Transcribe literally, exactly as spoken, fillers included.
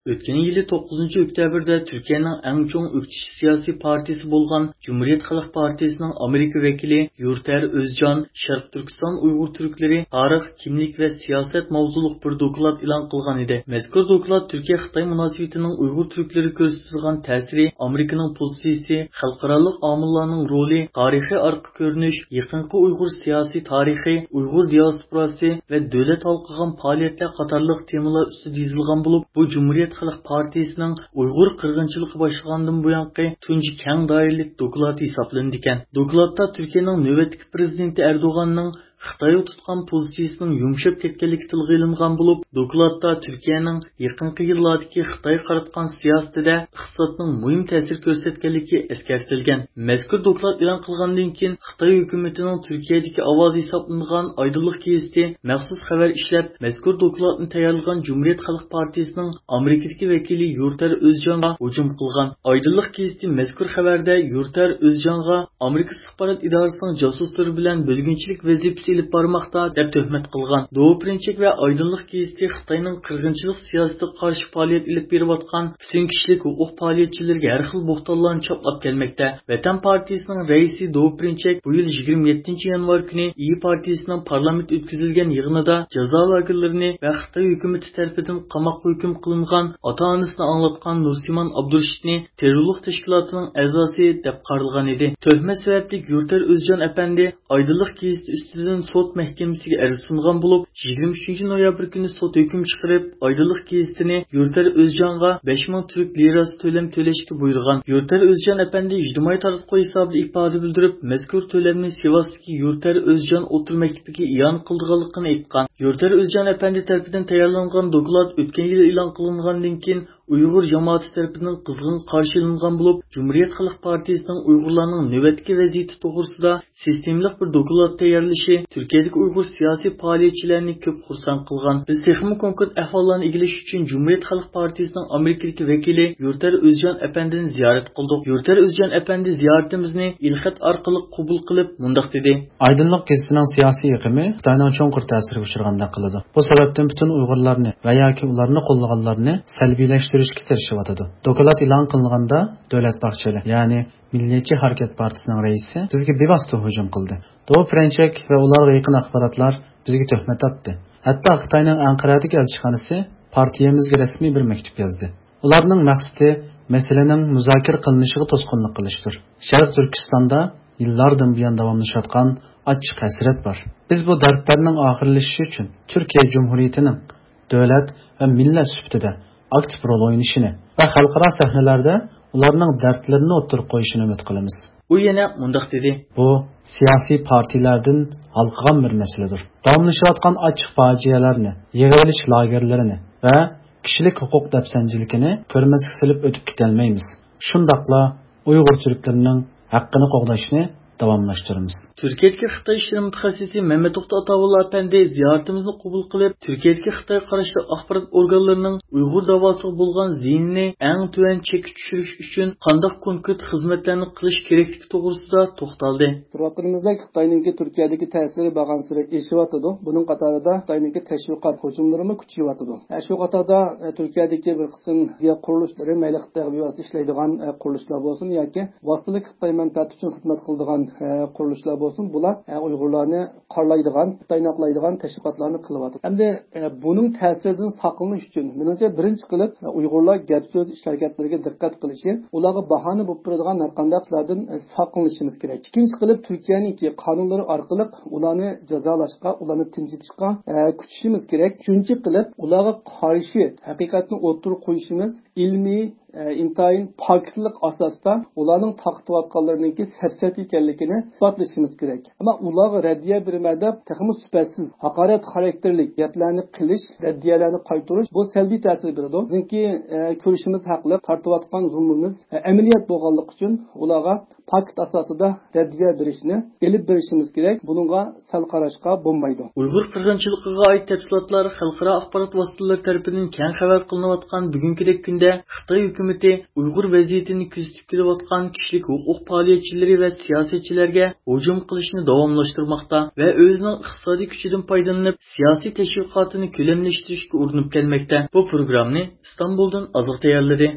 ئۆتكەن يىلى توققۇزىنچى ئۆكتەبىردە تۈركىيەنىڭ ئەڭ چوڭ ئۆكتىچى سىياسىي پارتىيىسى بولغان جۇمھۇرىيەت خەلق پارتىيىسىنىڭ ئامېرىكا ۋەكىلى يۇرتەر ئۆزجان شەرقىي تۈركىستان ئۇيغۇر تۈركلىرى تارىخ، كىملىك ۋە سىياسەت ماۋزۇلۇق بىر دوكلات ئېلان قىلغان ئىدى. مەزكۇر دوكلات تۈركىيە خىتاي مۇناسىۋىتىنىڭ ئۇيغۇر تۈركلىرىگە كۆرسىتىدىغان تەسىرى، ئامېرىكىنىڭ پوزىتسىيىسى، خەلقئارالىق ئامىللارنىڭ رولى، تارىخىي ئارقا كۆرۈنۈش، يېقىنقى ئۇيغۇر سىياسىي تارىخى، ئۇيغۇر دىياسپوراسى ۋە دۆلەت ھالقىغان پائالىيەتلەر قاتارلىق تېمىلار ئۈستىدە يېزىلغان بولۇپ، بۇ جۇمھۇرىيەت خەلق پارتىيىسىنىڭ ئۇيغۇر قىرغىنچىلىقى باشلىغاندىن بۇيانقى تۇنجى كەڭ دائىرىلىك دوكلاتى ھېسابلىنىدىكەن. دوكلاتتا تۈركىيەنىڭ نۆۋەتتىكى پىرېزىدېنتى ئەردوغاننىڭ خىتايغا تۇتقان پوزىتسىيىسىنىڭ يۇمشاپ كەتكەنلىكى تىلغا ئېلىنغان بولۇپ، دوكلاتتا تۈركىيەنىڭ يېقىنقى يىللاردىكى خىتايغا قاراتقان سىياسىتىدە ئىقتىسادنىڭ مۇھىم تەسىر كۆرسەتكەنلىكى ئەسكەرتىلگەن. مەزكۇر دوكلات ئېلان قىلغاندىن كېيىن، خىتاي ھۆكۈمىتىنىڭ تۈركىيەدىكى ئاۋازى ھېسابلىنىدىغان ئايدىنلىق گېزىتى مەخسۇس خەۋەر ئىشلەپ، مەزكۇر دوكلاتنى تەييارلىغان جۇمھۇرىيەت خەلق پارتىيىسىنىڭ ئامېرىكىدىكى ۋەكىلى يۇرتەر ئۆزجانغا ھۇجۇم قىلغان. ئايدىنلىق گېزىتى مەزكۇر خەۋەردە يۇرتەر ئۆزجانغا ئامېرىكا ئىستىخبارات ئىدارىسىنىڭ جاسۇسلىرى بىلەن بۆلگۈنچىلىك ۋەزىپىسى ئېلىپ بارماقتا، دەپ تۆھمەت قىلغان. دوۋا پىرىنچېك ۋە ئايدىنلىق گېزىتى خىتاينىڭ قىرغىنچىلىق سىياسىتىگە قارشى پائالىيەت ئېلىپ بېرىۋاتقان پۈتۈن كىشىلىك ھوقۇق پائالىيەتچىلىرىگە ھەر خىل بوھتانلارنى چاپلاپ كەلمەكتە. ۋەتەن پارتىيىسىنىڭ رەئىسى دوۋا پىرىنچېك بۇ يىل يىگىرمە يەتتىنچى يانۋار كۈنى ئىيى پارتىيىسىنىڭ پارلامېنت ئۆتكۈزۈلگەن يىغىنىدا جازا لاگېرلىرىنى ۋە خىتاي ھۆكۈمىتى تەرىپىدىن قاماققا ھۆكۈم قىلىنغان ئاتا-ئانىسىنى ئاڭلاتقان نۇرسىمان ئابدۇرېشىتنى تېررورلۇق تەشكىلاتىنىڭ ئەزاسى دەپ قارىلغان ئىدى. تۆھمەت سەۋەبلىك يۇرتەر ئۆزجان ئەپەندى ئايدىنلىق گېزىتى ئۈستىدىن سوت مەھكىمىسىگە ئەرز سۇنغان بولۇپ، يىگىرمە ئۈچىنچى نويابىر كۈنى سوت ھۆكۈم چىقىرىپ، ئايدىنلىق گېزىتىنى يۇرتەر ئۆزجانغا بەش مىڭ تۈرك لىراسى تۆلەم تۆلەشكە بۇيرۇغان. يۇرتەر ئۆزجان ئەپەندى ئىجتىمائىي تاراتقۇ ھېسابىدا ئىپادە بىلدۈرۈپ، مەزكۇر تۆلەمنى سىۋاستىكى يۇرتەر ئۆزجان ئوتتۇرا مەكتىپىگە ئىئانە قىلىدىغانلىقىنى ئېيتقان. يۇرتەر ئۆزجان ئەپەندى تەرىپىدىن تەييارلانغان دوكلات ئۆتكەن يىلى ئېلان قىلىنغاندىن كېيىن، ئۇيغۇر جامائىتى تەرىپىدىن قىزغىن قارشى ئېلىنغان بولۇپ، جۇمھۇرىيەت خەلق پارتىيىسىنىڭ ئۇيغۇرلارنىڭ نۆۋەتتىكى ۋەزىيىتى توغرىسىدا سىستېمىلىق بىر دوكلات تەييارلىشى تۈركىيەدىكى ئۇيغۇر سىياسىي پائالىيەتچىلەرنى كۆپ خۇرسەن قىلغان. بىز تېخىمۇ كونكرېت ئەھۋاللارنى ئىگىلەش ئۈچۈن جۇمھۇرىيەت خەلق پارتىيىسىنىڭ ئامېرىكىدىكى ۋەكىلى يۇرتەر ئۆزجان ئەپەندىنى زىيارەت قىلدۇق. يۇرتەر ئۆزجان ئەپەندى زىيارىتىمىزنى ئېلخەت ئارقىلىق قوبۇل قىلىپ، مۇنداق دېدى. ئايدىنلىق گېزىتىنىڭ سىياسىي ئېقىمى خىتاينىڭ چوڭقۇر تەسىرىگە ئۇچرىغاندەك قىلىدۇ. بۇ سەۋەبتىن پۈتۈن ئۇيغۇرلارنى ۋە ياكى ئۇلارنى قوللىغانلارنى سەلبىيلەشتۈرۈشكە تىرىشىۋاتىدۇ. دوكلات ئېلان قىلىنغاندا دۆلەت باخچېلى، يەنى مىللىيەتچى ھەرىكەت پارتىيىسىنىڭ رەئىسى بىزگە بىۋاسىتە ھۇجۇم قىلدى. دوۋا پىرىنچېك ۋە ئۇلارغا يېقىن ئاخباراتلار بىزگە تۆھمەت ئاتتى. ھەتتا خىتاينىڭ ئەنقەرەدىكى ئەلچىخانىسى پارتىيەمىزگە رەسمىي بىر مەكتۇپ يازدى. ئۇلارنىڭ مەقسىتى مەسىلىنىڭ مۇزاكىرە قىلىنىشىغا توسقۇنلۇق قىلىشتۇر. شەرقىي تۈركىستاندا يىللاردىن بۇيان داۋاملىشىۋاتقان ئاچچىق ھەسرەت بار. بىز بۇ دەردلەرنىڭ ئاخىرلىشىشى ئۈچۈن تۈركىيە جۇمھۇرىيىتىنىڭ دۆلەت ۋە مىللەت سۈپىتىدە ئاكتىپ رول ئوينىشىنى ۋە خەلقئارا سەھنىلەردە ئۇلارنىڭ دەردلىرىنى ئوتتۇرىغا قويۇشىنى ئۈمىد قىلىمىز. ئۇ يەنە مۇنداق دېدى. بۇ سىياسىي پارتىيەلەردىن ھالقىغان بىر مەسىلىدۇر. داۋاملىشىۋاتقان ئاچچىق پاجىئەلەرنى، يىغىۋېلىش لاگېرلىرىنى ۋە كىشىلىك ھوقۇق دەپسەندىچىلىكىنى كۆرمەسكە سېلىپ ئۆتۈپ كېتەلمەيمىز. شۇنداقلا ئۇيغۇر تۈركلىرىنىڭ ھەققىنى قوغداشنى داۋاملاشتۇرىمىز. تۈركىيەدىكى خىتاي ئىشلىرى مۇتەخەسسىسى مەمەت توختى ئاتاۋۇللا ئەپەندى زىيارىتىمىزنى قوبۇل قىلىپ، تۈركىيەدىكى خىتايغا قاراشلىق ئاخبارات ئورگانلىرىنىڭ ئۇيغۇر داۋاسىغا بولغان زىيىنىنى ئەڭ تۆۋەن چەككە چۈشۈرۈش ئۈچۈن قانداق كونكرېت خىزمەتلەرنى قىلىش كېرەكلىكى توغرىسىدا توختالدى. كۆرۈۋاتقىنىمىزدەك، خىتاينىڭكى تۈركىيەدىكى تەسىرى بارغانسېرى ئېشىۋاتىدۇ. بۇنىڭ قاتارىدا خىتاينىڭكى تەشۋىقات ھۇجۇملىرىمۇ كۈچىيىۋاتىدۇ. ئە، شۇ قاتاردا، ئە، تۈركىيەدىكى بىر قىسىم قۇرۇلۇشلىرى، مەيلى خىتايغا بىۋاسىتە ئىشلەيدىغان، ئە، قۇرۇلۇشلار بولسۇن ياكى ۋاسىتىلىك خىتاي مەنپەئەتى ئۈچۈن خىزمەت قىلىدىغان، ئە، قۇرۇلۇشلار بولسۇن، بۇلار، ئە، ئۇيغۇرلارنى قارىلايدىغان، خىتاينى ئاقلايدىغان تەشۋىقاتلارنى قىلىۋاتىدۇ. ئەمدى، ئە، بۇنىڭ تەسىرىدىن ساقلىنىش ئۈچۈن، مېنىڭچە، بىرىنچى قىلىپ، ئە، ئۇيغۇرلار گەپ سۆز، ئىش ھەرىكەتلىرىگە دىققەت قىلىشى، ئۇلارغا باھانە بولۇپ تۇرىدىغان ھەر قانداق ئىشلاردىن، ئە، ساقلىنىشىمىز كېرەك. ئىككىنچى قىلىپ، تۈركىيەنىڭكى قانۇنلىرى ئارقىلىق ئۇلارنى جازالاشقا، ئۇلارنى تىنچىتىشقا، ئە، كۈچىشىمىز كېرەك. ئۈچىنچى قىلىپ، ئۇلارغا قارشى ھەقىقەتنى ئوتتۇرىغا قويۇشىمىز، ئىلمىي، ئە، ئىنتايىن پاكىتلىق ئاساستا ئۇلارنىڭ تارقىتىۋاتقانلىرىنىڭكى سەپسەتە ئىكەنلىكىنى ئىسپاتلىشىمىز كېرەك. ئەمما ئۇلارغا رەددىيە بېرىمەن دەپ، تېخىمۇ سۈپەتسىز، ھاقارەت خاراكتېرلىك گەپلەرنى قىلىش، رەددىيەلەرنى قايتۇرۇش، بۇ سەلبىي تەسىر بېرىدۇ. بىزنىڭكى، ئە، كۆرۈشىمىز ھەقلىق، تارتىۋاتقان زۇلمىمىز، ئە، ئەمەلىيەت بولغانلىقى ئۈچۈن ئۇلارغا پاكىت ئاساسىدا رەددىيە بېرىشنى ئېلىپ بېرىشىمىز كېرەك. بۇنىڭغا سەل قاراشقا بولمايدۇ. ئۇيغۇر قىرغىنچىلىقىغا ئائىت تەپسىلاتلار خەلقئارا ئاخبارات ۋاسىتىلىرى تەرىپىدىن كەڭ خەۋەر قىلىنىۋاتقان بۈگۈنكىدەك كۈندە خىتاي ھۆكۈمىتى ئۇيغۇر ۋەزىيىتىنى كۆزىتىپ كېلىۋاتقان كىشىلىك ھوقۇق پائالىيەتچىلىرى ۋە سىياسەتچىلەرگە ھۇجۇم قىلىشنى داۋاملاشتۇرماقتا ۋە ئۆزىنىڭ ئىقتىسادىي كۈچىدىن پايدىلىنىپ، سىياسىي تەشۋىقاتىنى كۆلەملەشتۈرۈشكە ئۇرۇنۇپ كەلمەكتە. بۇ پروگراممىنى ئىستانبۇلدىن ئازىق تەييارلىدى.